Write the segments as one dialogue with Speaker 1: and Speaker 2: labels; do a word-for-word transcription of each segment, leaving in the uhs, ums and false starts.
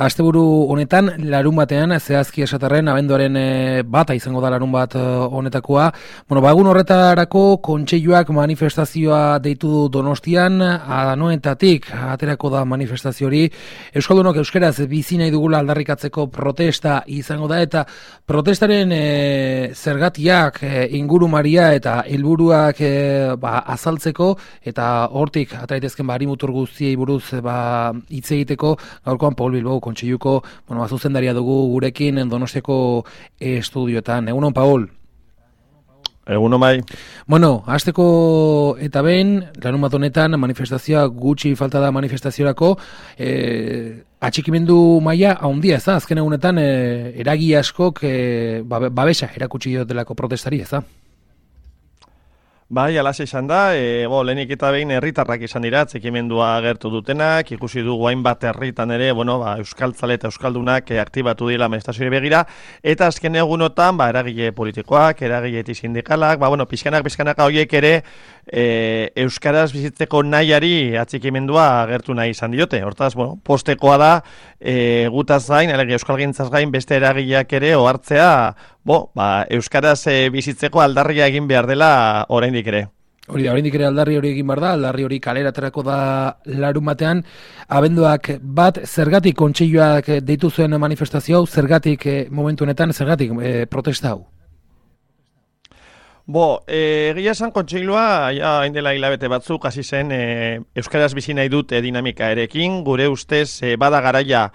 Speaker 1: asteburu honetan, larun batean, zehazki esaterren, abenduaren e, bata izango da larun bat e, honetakoa. Bueno, ba, egun horretarako kontseiluak manifestazioa deitu du Donostian, anoetatik aterako da manifestazio hori. Euskaldunok euskeraz bizi nahi dugula aldarrikatzeko protesta izango da, eta protestaren e, zergatiak, e, ingurumaria eta helburuak e, ba, azaltzeko, eta hortik ataitezken ba, harimutur guztiei buruz ba, hitz egiteko, gaurkoan Paul Bilbao kontseiluko, bueno, zuzendaria dugu gurekin Donostiako estudioetan. Egunon, Paul?
Speaker 2: Egunon bai.
Speaker 1: Bueno, hasteko eta behin, larun bat honetan manifestazioa gutxi falta da manifestaziorako, eh, atxikimendu maila handia, ez da? Azken egunetan eh, eragi askok eh, babesa erakutsi diotelako protestari, ez da?
Speaker 2: Bai, alaxe izan da, e, bo, lehenik eta behin herritarrak izan dira, atxikimendua agertu dutenak, ikusi dugu hainbat herritan ere, bueno, ba, euskaltzale eta euskaldunak e, aktibatu dira manifestazioari begira, eta azken egunotan, ba, eragile politikoak, eragile sindikalak, ba, bueno, pixkanak, pixkanak horiek ere, e, euskaraz bizitzeko nahiari atxikimendua agertu nahi izan diote. Hortaz, bueno, postekoa da, e, gutaz gain, alegia euskalgintzaz gain, beste eragileak ere ohartzea, bo, ba, euskaraz e, bizitzeko aldarria egin behar dela oraindik ere.
Speaker 1: Hori da, oraindik ere aldarri hori egin behar da, aldarri hori kalera aterako da larun batean, abenduak bat, zergatik kontseiluak deitu zuen manifestazio hau, zergatik e, momentu honetan, zergatik e, protesta hau?
Speaker 2: Bo, egia esan kontseilua, ja, hain dela hilabete batzuk, hasi zen, e, euskaraz bizi nahi dut e, dinamika erekin, gure ustez, e, bada garaia,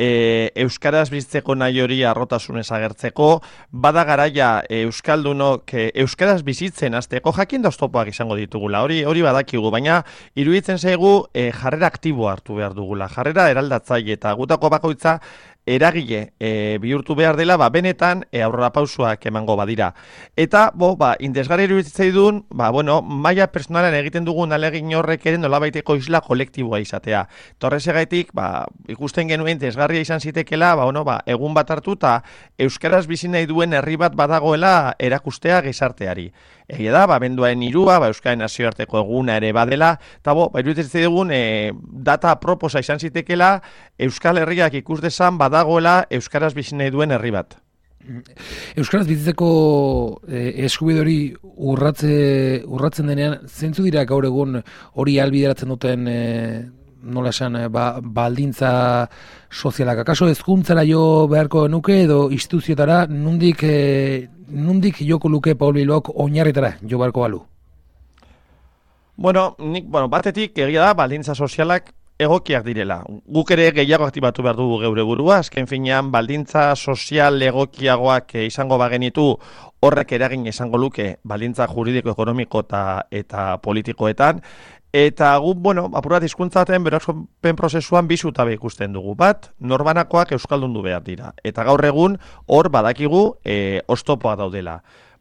Speaker 2: E, euskaraz bizitzeko nahi hori arrotasunez agertzeko, bada garaia e, euskaldunok e, euskaraz bizitzen hasteko jakin da oztopoak izango ditugula, hori hori badakigu, baina iruditzen zaigu e, jarrera aktibo hartu behar dugula, jarrera eraldatzaile eta gutako bakoitza eragile e, bihurtu behar dela, ba, benetan e, aurrera pausuak emango badira. Eta, bo, ba, indesgarri iruditzen ba, bueno, maila personalen egiten dugun alegin horrek ere nolabaiteko isla kolektiboa izatea. Torrezegaitik, ba, ikusten genuen desgarria izan zitekela, ba, bueno, ba, egun bat hartu eta euskaraz bizi nahi duen herri bat badagoela erakustea gizarteari. Egia da, ba, benduaren irua, ba, Euskaren nazioarteko eguna ere badela, eta bo, ba, iruditzen dugun e, data proposa izan zitekela, Euskal Herriak ikus dezan badagoela euskaraz bizi nahi duen herri bat.
Speaker 1: Euskaraz bizitzeko eh, eskubide hori urratze, urratzen denean, zeintzu dira gaur egun hori ahalbideratzen duten eh, nola esan, ba, baldintza sozialak? Akaso hezkuntzara jo beharko nuke edo instituzioetara nundik, eh, nundik joko luke Paul Bilbaok oinarritara jo beharko balu?
Speaker 2: Bueno, nik, bueno, batetik egia da baldintza sozialak egokiak direla. Guk ere gehiago aktibatu behar dugu geure burua, azken finean baldintza sozial egokiagoak izango bagenitu horrek eragin izango luke baldintza juridiko, ekonomiko eta, eta politikoetan. Eta gu, bueno, apurat hizkuntzaten berazpen prozesuan bi zutabe ikusten dugu. Bat, norbanakoak euskaldundu behar dira. Eta gaur egun hor badakigu e, oztopoa daudela.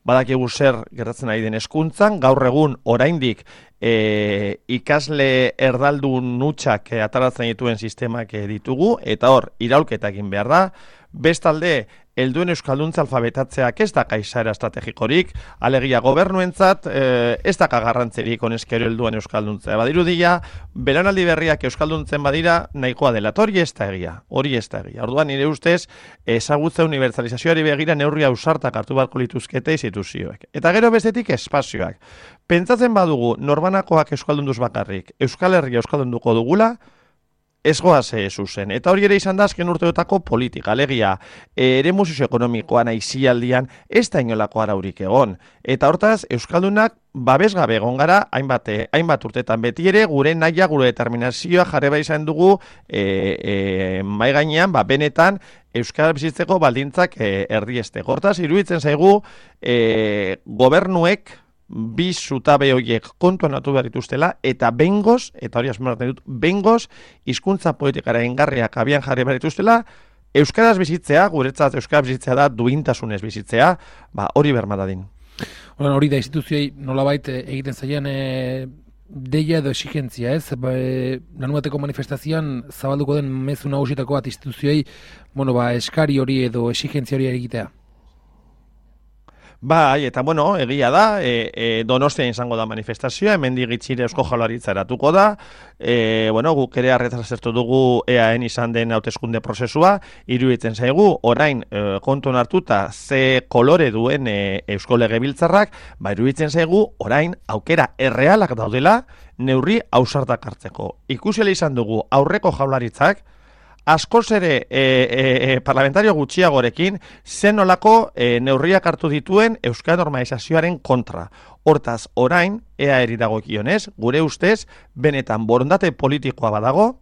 Speaker 2: Badakigu zer gertatzen ari den hezkuntzan, gaur egun oraindik e, ikasle erdaldun nutxak e, ataratzen dituen sistemak e, ditugu, eta hor, iraulketa egin behar da. Bestalde, helduen euskalduntza alfabetatzeak ez daka izaera estrategikorik, alegia gobernuentzat e, ez daka garrantzerik honezkero helduen euskalduntzea. Badirudia, belaunaldi berriak euskalduntzen badira nahikoa dela, hori ez da egia, hori ez da egia. Orduan nire ustez, ezagutza unibertsalizazioari begira neurria ausartak hartu beharko lituzkete instituzioek. Eta gero bestetik espazioak. Pentsatzen badugu norbanakoak euskaldunduz bakarrik, Euskal Herria euskaldunduko dugula, ez goaz zuzen. Eta hori ere izan da azken urteotako politika, alegia, eremu sozioekonomikoan aizialdian ez da inolako araurik egon. Eta hortaz, euskaldunak babesgabe egon gara, hainbat, hainbat urtetan beti ere, gure naia, gure determinazioa jarri bai izan dugu e, e, mai gainean, ba, benetan, euskara bizitzeko baldintzak e, erdiesteko. Hortaz, iruditzen zaigu, e, gobernuek, bi zutabe horiek kontuan hartu behar dituztela, eta bengoz, eta hori asmatzen dut, bengoz, hizkuntza politikara engarriak abian jarri behar dituztela, euskaraz bizitzea, guretzat euskaraz bizitzea da, duintasunez bizitzea, ba, hori bermadadin.
Speaker 1: Hori da, instituzioi nolabait egiten zaien e, deia edo exigentzia, ez? Ba, e, lanuateko manifestazioan zabalduko den mezu nagusitako bat instituzioi, bueno, ba, eskari hori edo exigentzia hori egitea.
Speaker 2: Bai, eta bueno, egia da, e, e, Donostian izango da manifestazioa, hemendik gitxire Eusko Jaurlaritza eratuko da, e, bueno, guk ere arretaz zertu dugu E A N izan den hauteskunde prozesua, iruditzen zaigu, orain e, kontuan hartuta ze kolore duen e, Eusko Legebiltzarrak, ba iruditzen zaigu, orain aukera errealak daudela neurri ausartak hartzeko. Ikusiela izan dugu aurreko Jaurlaritzak, askoz ere e, e, e, parlamentario gutxiagorekin zen nolako e, neurriak hartu dituen euskara normalizazioaren kontra. Hortaz, orain, ea eri dagokionez, gure ustez, benetan borondate politikoa badago,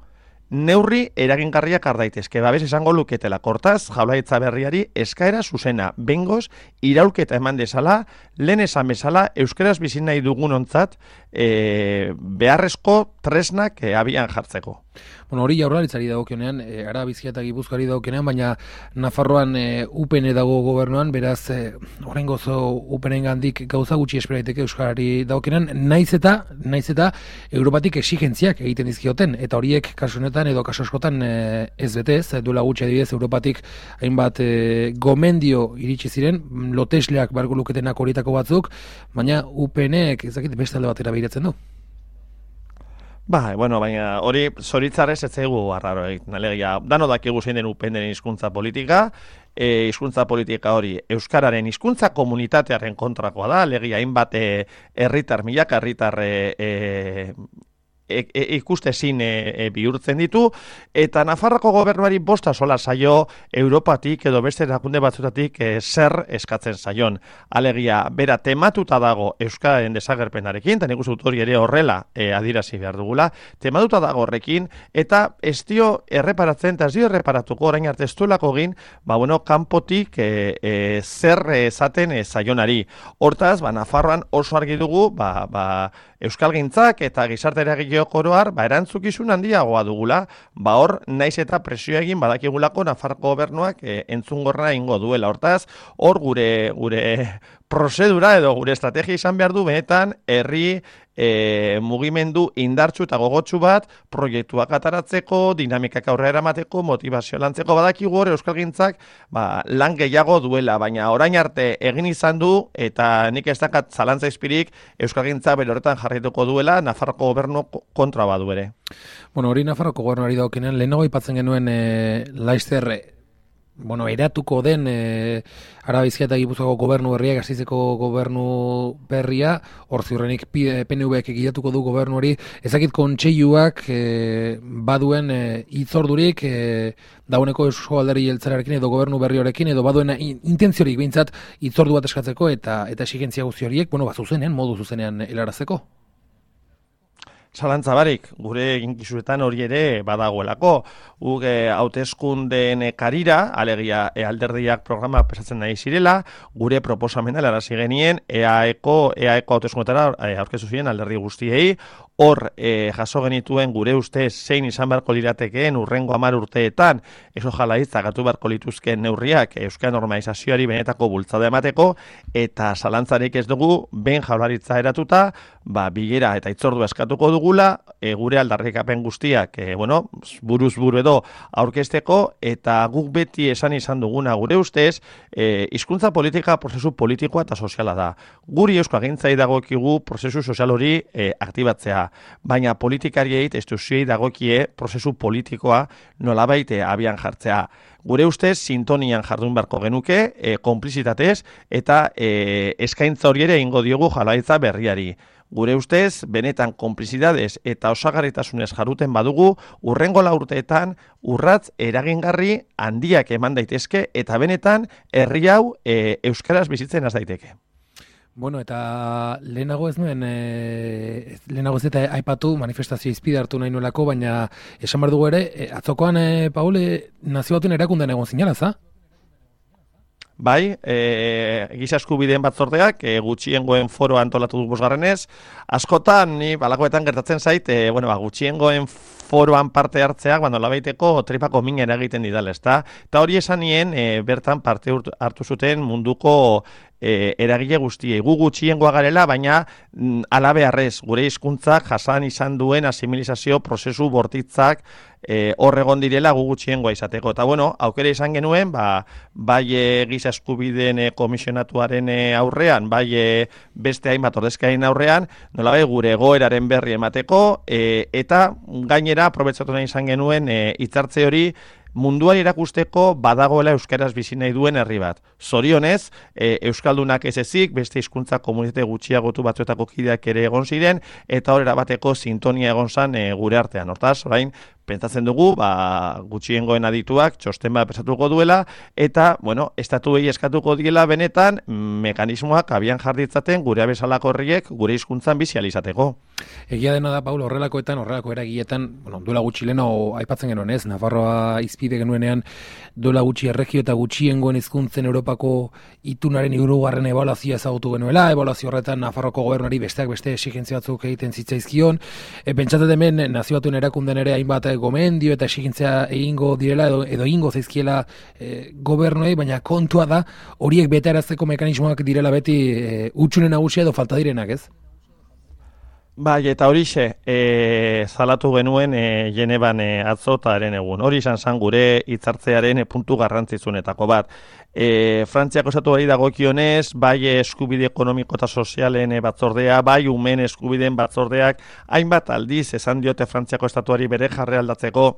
Speaker 2: neurri eragingarriak har daitezke, babes esango luketela. Hortaz, Jaurlaritza berriari eskaera zuzena, bengoz, iraulketa eman dezala, lehen esan bezala, euskaraz bizi nahi dugunontzat e, beharrezko tresnak e, abian jartzeko.
Speaker 1: Bueno, hori Jaurlaritzari dagokionean, e, Ara Bizkaia eta Gipuzkoari dagokionean, baina Nafarroan e, U P N dago gobernuan, beraz, e, oraingoz U P N-gandik gauza gutxi espera daiteke euskarari dagokionean, naiz eta naiz eta Europatik exigentziak egiten dizkioten, eta horiek kasu honetan edo kasu askotan e, ez bete ez, duela gutxi adibidez Europatik hainbat e, gomendio iritsi ziren, lotesleak barko luketenak horietako batzuk, baina U P N-ek ezakit beste alde batera behiratzen du.
Speaker 2: Ba, bueno, baina hori zoritzarrez ez zaigu arraro egiten, alegia, dano dakigu zein den U P N-en hizkuntza politika, e, hizkuntza politika hori euskararen hizkuntza komunitatearen kontrakoa da, alegia hainbat herritar e, milaka herritar e, e, E, e, ikustezin e, e, bihurtzen ditu, eta Nafarroko gobernuari bosta sola zaio Europatik edo beste erakunde batzutatik e, zer eskatzen zaion. Alegia, bera tematuta dago euskararen desagerpenarekin, eta nik uste dut hori ere horrela e, adirazi behar dugula, tematuta dago horrekin, eta ez dio erreparatzen, eta ez dio erreparatuko orain arte ez duelako egin, ba bueno, kanpotik e, e, zer esaten e, zaionari. Hortaz, ba, Nafarroan oso argi dugu, ba, ba, euskalgintzak eta gizarte eragile oroar, ba, erantzukizun handiagoa dugula, ba hor, naiz eta presio egin badakigulako Nafarroko gobernuak e, entzungorra ingo duela. Hortaz, hor gure gure prozedura edo gure estrategia izan behar du benetan herri e, mugimendu indartsu eta gogotsu bat proiektuak ataratzeko, dinamikak aurrera eramateko, motivazio lantzeko badakigu hor euskalgintzak ba, lan gehiago duela, baina orain arte egin izan du eta nik ez dakat zalantza izpirik euskalgintza bere horretan jarraituko duela Nafarroko gobernu kontra badu ere.
Speaker 1: Bueno, hori Nafarroko gobernuari daukenean, lehenago aipatzen genuen e, Laster bueno, eratuko den e, Araba Bizkaia eta Gipuzkoako gobernu berria, Gasteizeko gobernu berria, hor ziurrenik P N V-ek egitatuko du gobernu hori, ezakit kontseiluak e, baduen e, itzordurik e, dauneko Eusko Alderdi Jeltzalearekin edo gobernu berri horekin, edo baduen intentziorik behintzat itzordu bat eskatzeko eta eta exigentzia guzti horiek, bueno, ba, zuzenean, modu zuzenean helarazteko.
Speaker 2: Zalantza barik, gure eginkizuetan hori ere badagoelako. Guk hauteskundeen karira, alegia e, alderdiak programa pesatzen nahi zirela, gure proposamena helarazi genien EAEko EAEko hauteskundetara aurkeztu ziren alderdi guztiei, hor e, jaso genituen gure ustez zein izan beharko liratekeen urrengo hamar urteetan eso Jaurlaritza gatu beharko lituzkeen neurriak euskara normalizazioari benetako bultzada emateko, eta zalantzarik ez dugu behin Jaurlaritza eratuta, ba, bilera eta itzordu eskatuko dugula, e, gure aldarrikapen guztiak e, bueno, buruz buru edo aurkezteko, eta guk beti esan izan duguna gure ustez, e, hizkuntza politika prozesu politikoa eta soziala da. Guri euskalgintzai dagokigu prozesu sozial hori e, aktibatzea, baina politikariei instituzioei dagokie prozesu politikoa nolabait abian jartzea. Gure ustez, sintonian jardun beharko genuke, e, konplizitatez, eta e, eskaintza hori ere ingo diogu Jaurlaritza berriari. Gure ustez, benetan konplizidadez eta osagarritasunez jaruten badugu, urrengo lau urteetan urratz eragingarri handiak eman daitezke, eta benetan herri hau e, euskaraz bizitzen az daiteke.
Speaker 1: Bueno, eta lehenago ez nuen, e, lehenago ez eta aipatu manifestazio izpide hartu nahi nuelako, baina esan behar dugu ere, e, atzokoan, e, Paul, e, nazio batuen erakundean egon zinala, za?
Speaker 2: Bai, e, giza eskubideen batzordeak e, gutxiengoen foro antolatu du bosgarrenez. Askotan, ni balakoetan gertatzen zait, e, bueno, ba, gutxiengoen foroan parte hartzeak, bando labaiteko tripako minen egiten didala, ezta? Eta hori esan nien, e, bertan parte hartu zuten munduko e, eragile guztiei. Gu gutxiengoa garela, baina mm, alabearrez, gure hizkuntzak jasan izan duen asimilizazio prozesu bortitzak E, hor egon direla gu gutxiengoa izateko. Eta bueno, aukera izan genuen, ba, bai e, giza eskubideen e, komisionatuaren e, aurrean, bai e, beste hainbat ordezkarien aurrean, nolabai gure egoeraren berri emateko, e, eta gainera aprobetxatu nahi izan genuen e, hitzartze hori munduan irakusteko badagoela euskaraz bizi nahi duen herri bat. Zorionez, e, euskaldunak ez ezik, beste hizkuntza komunitate gutxiagotu batzuetako kideak ere egon ziren, eta horrela bateko sintonia egon zan e, gure artean. Hortaz, orain, pentsatzen dugu, ba, gutxiengoen adituak txosten bat pesatuko duela, eta, bueno, estatuei eskatuko diela benetan mekanismoak abian jarditzaten gure bezalako herriek gure hizkuntzan bizi ahal izateko.
Speaker 1: Egia dena da, Paul, horrelakoetan, horrelako eragietan, bueno, duela gutxi leno aipatzen genuen ez, Nafarroa izpide genuenean, duela gutxi erregio eta gutxiengoen hizkuntzen Europako itunaren hirugarren ebaluazioa ezagutu genuela, ebaluazio horretan Nafarroko gobernuari besteak beste exigentzia batzuk egiten zitzaizkion, e, pentsatzen hemen nazio batuen erakunden ere hainbat gomendio eta exigentzia egingo direla edo, edo egingo zaizkiela e, gobernuei, baina kontua da horiek betearazteko mekanismoak direla beti e, utxune nagusia edo falta direnak, ez?
Speaker 2: Bai, eta horixe, e, zalatu genuen e, Geneban e, atzo eta eren egun. Hori izan zan gure hitzartzearen e, puntu garrantzizunetako bat. E, Frantziako estatuari dagokionez, bai eskubide ekonomiko eta sozialen e, batzordea, bai umen eskubideen batzordeak, hainbat aldiz esan diote Frantziako estatuari bere jarre aldatzeko,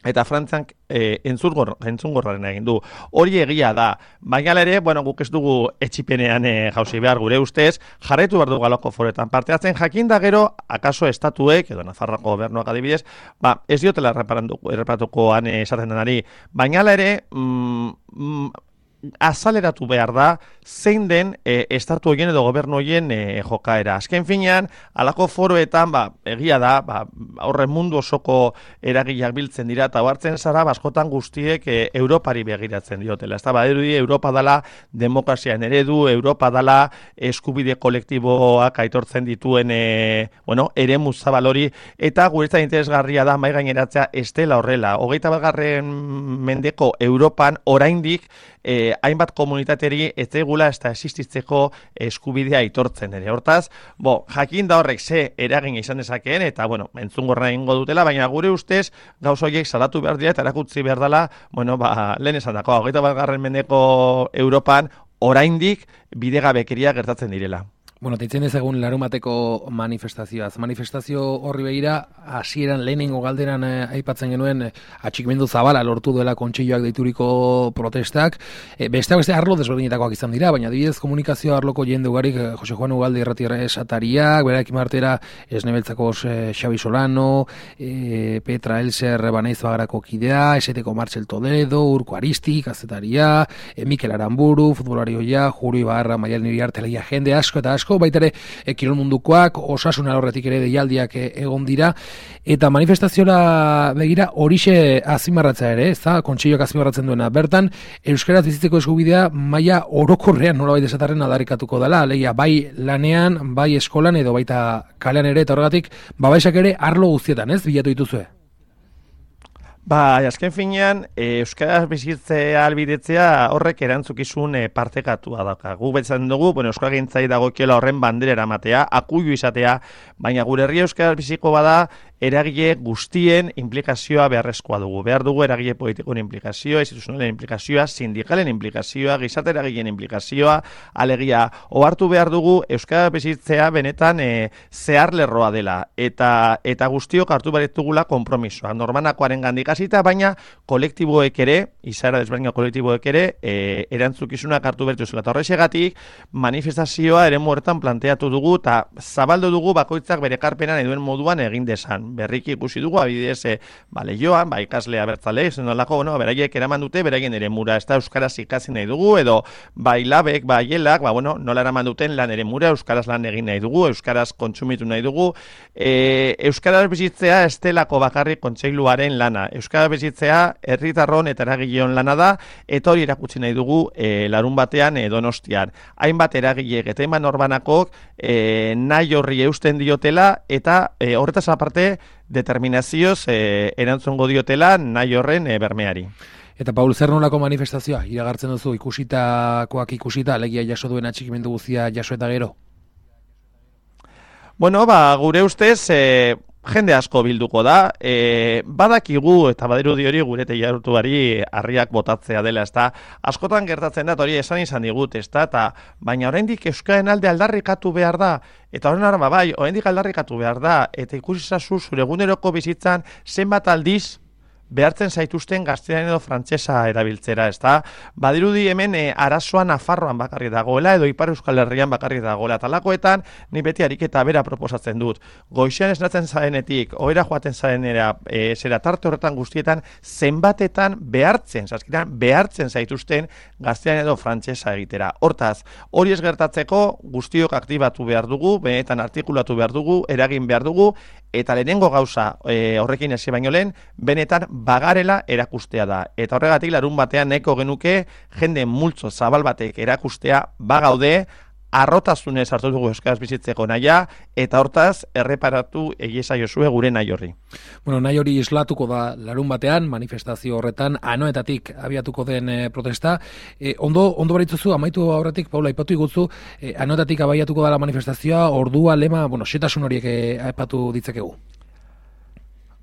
Speaker 2: eta Frantziak e, entzungorraren egin du. Hori egia da. Baina ere, bueno, guk ez dugu etxipenean e, jauzi behar gure ustez, jarretu behar dugu aloko foretan parte hartzen, jakin da gero, akaso estatuek, edo Nafarroako gobernuak adibidez, ba, ez diotela erreparatukoan e, esaten denari. Baina ere, mm, mm, azaleratu behar da zein den e, estatu horien edo gobernu horien e, jokaera. Azken finean, alako foroetan, ba, egia da, ba, horren mundu osoko eragileak biltzen dira, eta hartzen zara, askotan guztiek e, Europari begiratzen diotela. Ez da, ba, erudi, Europa dala demokrazian eredu, Europa dala eskubide kolektiboak aitortzen dituen e, bueno, eremu zabal hori, eta guretzat interesgarria da mai gaineratzea ez dela horrela. Hogeita bat garren mendeko Europan oraindik E, hainbat komunitateri ez egula ez da existitzeko eskubidea aitortzen ere. Hortaz, bo, jakin da horrek ze eragin izan dezakeen, eta, bueno, entzungorra egingo dutela, baina gure ustez, gauz horiek salatu behar dira, eta erakutzi behar dela, bueno, ba, lehen esan dako, hogeita bat garren mendeko Europan, oraindik bidegabekeria gertatzen direla.
Speaker 1: Bueno, teitzen ezagun larumateko manifestazioaz. Manifestazio horri begira, hasieran lehenengo galderan eh, aipatzen genuen eh, atxikimendu zabala lortu duela kontseiloak deituriko protestak. Eh, beste beste arlo desberdinetakoak izan dira, baina adibidez komunikazio arloko jende ugarik eh, Jose Juan Ugalde irratira esatariak, berarekin martera Esnebeltzako eh, Xabi Solano, eh, Petra Elser Banaiz Bagarako kidea, Eseteko Martxel Toledo, Urko Aristi, kazetaria, eh, Mikel Aramburu, futbolari hoia, Juri Barra, Maial Niriarteleia, jende asko eta asko, baita ere e, kirol mundukoak, osasun alorretik ere deialdiak e, egon dira, eta manifestazioa begira horixe azimarratza ere, ez da, kontseiloak azimarratzen duena. Bertan, euskaraz bizitzeko eskubidea maila orokorrean nolabait esatarren aldarrikatuko dela, alegia bai lanean, bai eskolan edo baita kalean ere, eta horregatik, babaisak ere arlo guztietan, ez, bilatu dituzue?
Speaker 2: Ba, azken finean, e, euskaraz bizitzea albidetzea horrek erantzukizun e, partekatua dauka. Gu betzen dugu, bueno, euskal gintzai dagokiela horren bandera eramatea, akuilu izatea, baina gure herria euskaraz biziko bada, eragile guztien implikazioa beharrezkoa dugu. Behar dugu eragile politikoen implikazioa, instituzionalen implikazioa, sindikalen implikazioa, gizarte eragileen implikazioa, alegia, ohartu behar dugu euskara bizitzea benetan e, zehar lerroa dela, eta eta guztiok hartu behar ditugula konpromisoa. Normanakoaren gandik hasita, baina kolektiboek ere, izaera desberdina kolektiboek ere, e, erantzukizunak hartu behar dituzela. Eta horrexegatik, manifestazioa ere horretan planteatu dugu, eta zabaldu dugu bakoitzak bere ekarpena nahi duen moduan egin desan. Berriki ikusi dugu, abidez, e, ba, lehioan, ba, ikaslea bertzale, zenolako, bueno, beraiek eraman dute, beraien ere mura, ez da euskaraz ikasi nahi dugu, edo bai labek, bai helak, ba, bueno, nola eraman duten lan ere mura, euskaraz lan egin nahi dugu, euskaraz kontsumitu nahi dugu, e, euskaraz bizitzea estelako bakarrik kontseiluaren lana, euskaraz bizitzea herritarron eta eragileon lana da, eta hori erakutsi nahi dugu e, larun batean e, Donostian. Hainbat eragileek eta hainbat norbanakok e, nahi horri eusten diotela, eta e, horretaz aparte, determinazioz eh, erantzungo diotela nahi horren eh, bermeari.
Speaker 1: Eta Paul, zer nolako manifestazioa iragartzen duzu ikusitakoak ikusita, alegia jaso duen atxikimendu guztia jaso eta gero?
Speaker 2: Bueno, ba, gure ustez, e, jende asko bilduko da, e, badakigu eta badirudi hori gure teilarutuari harriak botatzea dela, ezta? Askotan gertatzen da, hori esan izan digut, ezta? Ta, baina oraindik euskararen alde aldarrikatu behar da, eta horren arma bai, oraindik aldarrikatu behar da, eta ikusi zazu zure eguneroko bizitzan zenbat aldiz behartzen zaituzten gaztelaniaz edo frantsesa erabiltzera, ezta? Badirudi hemen e, arazoa Nafarroan bakarrik dagoela edo Ipar Euskal Herrian bakarrik dagoela. Talakoetan ni beti ariketa bera proposatzen dut. Goizean esnatzen zarenetik, ohera joaten zarenera, e, zera tarte horretan guztietan zenbatetan behartzen, zaskitan behartzen zaituzten gaztelania edo frantsesa egitera. Hortaz, hori ez gertatzeko guztiok aktibatu behar dugu, benetan artikulatu behar dugu, eragin behar dugu, eta lehenengo gauza e, horrekin hasi baino lehen, benetan bagarela erakustea da. Eta horregatik larun batean nahiko genuke jende multzo zabal batek erakustea bagaude, arrotasunez hartu dugu euskaraz bizitzeko naia, eta hortaz erreparatu egiesa jozue gure nahi horri.
Speaker 1: Bueno, nahi hori islatuko da larun batean, manifestazio horretan, anoetatik abiatuko den e, protesta. E, ondo, ondo baritzuzu, amaitu aurretik, Paula, ipatu igutzu, e, anoetatik abiatuko da la manifestazioa, ordua, lema, bueno, setasun horiek e, aipatu ditzakegu.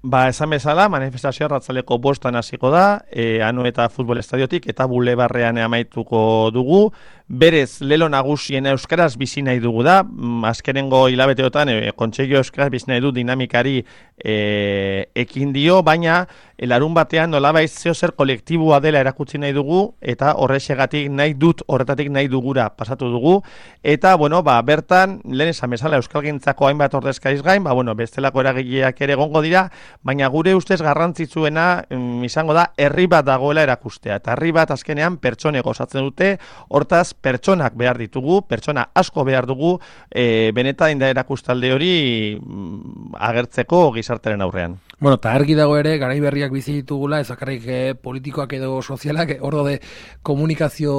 Speaker 2: Ba, esan bezala, manifestazioa arratzaleko bostan hasiko da, e, Anoeta futbol estadiotik eta bulebarrean amaituko dugu. Berez, lelo nagusien euskaraz bizi nahi dugu da, azkenengo hilabeteotan e, Kontseilu euskaraz bizi nahi du dinamikari e, ekin dio, baina e, larun batean nolabait zeo zer kolektiboa dela erakutsi nahi dugu, eta horrexegatik nahi dut, horretatik nahi dugura pasatu dugu, eta, bueno, ba, bertan, lehen esan bezala euskalgintzako hainbat ordezkariz gain, ba, bueno, bestelako eragileak ere egongo dira, baina gure ustez garrantzitsuena mm, izango da herri bat dagoela erakustea. Eta herri bat azkenean pertsonek osatzen dute, hortaz pertsonak behar ditugu, pertsona asko behar dugu, e, benetan da erakustalde hori mm, agertzeko gizartaren aurrean.
Speaker 1: Bueno, eta argi dago ere, garai berriak bizi ditugula, ez bakarrik eh, politikoak edo sozialak, hor de komunikazio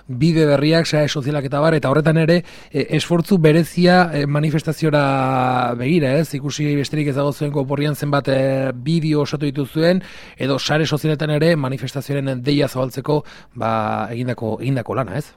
Speaker 1: bide berriak, sare sozialak eta bar, eta horretan ere, eh, esfortzu berezia eh, manifestaziora begira, ez? Ikusi besterik ez dago zuen koporrian zenbat eh, bideo osatu dituzuen, edo sare sozialetan ere manifestazioaren deia zabaltzeko, ba, egindako, egindako lana, ez?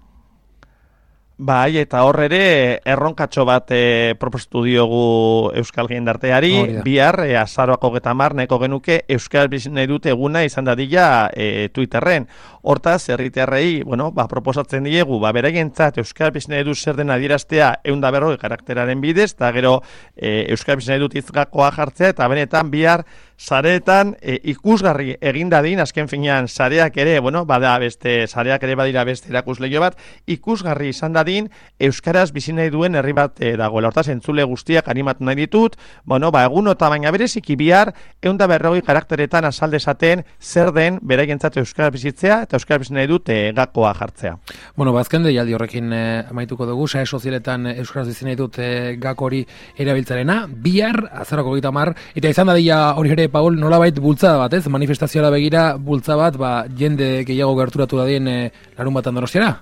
Speaker 2: Bai, eta hor ere erronkatxo bat e, proposatu diogu Euskal Jendarteari, bihar e, azaroak hogeita hamar nahiko genuke Euskal bizi nahi dute eguna izan dadila e, Twitterren. Hortaz, herritarrei, bueno, ba, proposatzen diegu, ba, beraientzat Euskal bizi nahi dut zer den adieraztea ehun eta berrogei karakteraren bidez, eta gero e, Euskal bizi nahi dut izgakoa jartzea, eta benetan bihar sareetan e, ikusgarri egin dadin, azken finean sareak ere, bueno, bada beste, sareak ere badira beste erakusleio bat, ikusgarri izan dadin, euskaraz bizi nahi duen herri bat e, dagoela. Hortaz, entzule guztiak animatu nahi ditut, bueno, ba, egun eta baina bereziki bihar, ehun eta berrogei karakteretan azaldezaten zer den beraientzat euskaraz bizitzea, eta euskaraz bizi nahi dut e, gakoa jartzea.
Speaker 1: Bueno, bazken deialdi horrekin e, amaituko dugu, sare sozialetan euskaraz bizi nahi dut e, gako hori erabiltzarena, bihar, azarako hogeita hamar, eta izan dadila hori ere, Paul, nolabait bultzada bat, ez? Manifestazioa begira bultza bat, ba, jende gehiago gerturatu dadien e, larun batan Donostiara?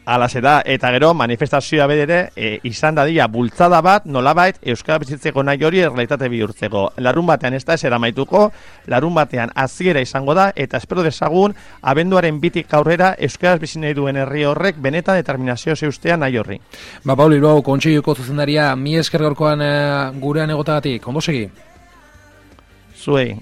Speaker 2: Alaxe da, eta gero manifestazioa bedere e, izan dadila bultzada bat, nolabait euskara bizitzeko nahi hori errealitate bihurtzeko. Larun batean ez da ez eramaituko, larun batean hasiera izango da, eta espero dezagun abenduaren bitik aurrera euskaraz bizi nahi duen herri horrek benetan determinazio zeustea nahi horri.
Speaker 1: Ba, Paul, Bilbao Kontseiluko zuzendaria, mi esker gaurkoan e, gurean egotagatik, ondo segi?
Speaker 2: Zuei.